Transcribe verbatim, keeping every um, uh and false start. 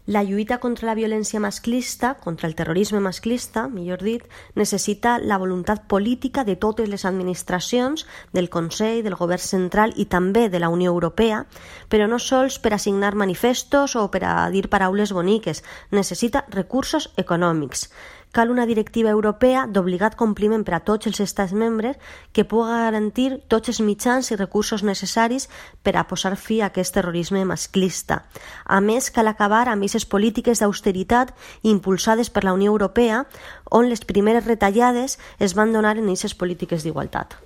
La lluita contra la violència masclista, contra el terrorisme masclista, millor dit, necessita la voluntat política de totes les administracions, del Consell, del Govern central i també de la Unió Europea, però no sols per a signar manifestos o per a dir paraules boniques, necessita recursos econòmics. Cal una directiva europea d'obligat compliment per a tots els estats membres que pugui garantir tots els mitjans i recursos necessaris per a posar fi a aquest terrorisme masclista. A més, cal acabar amb aquestes polítiques d'austeritat impulsades per la Unió Europea, on les primeres retallades es van donar en aquestes polítiques d'igualtat.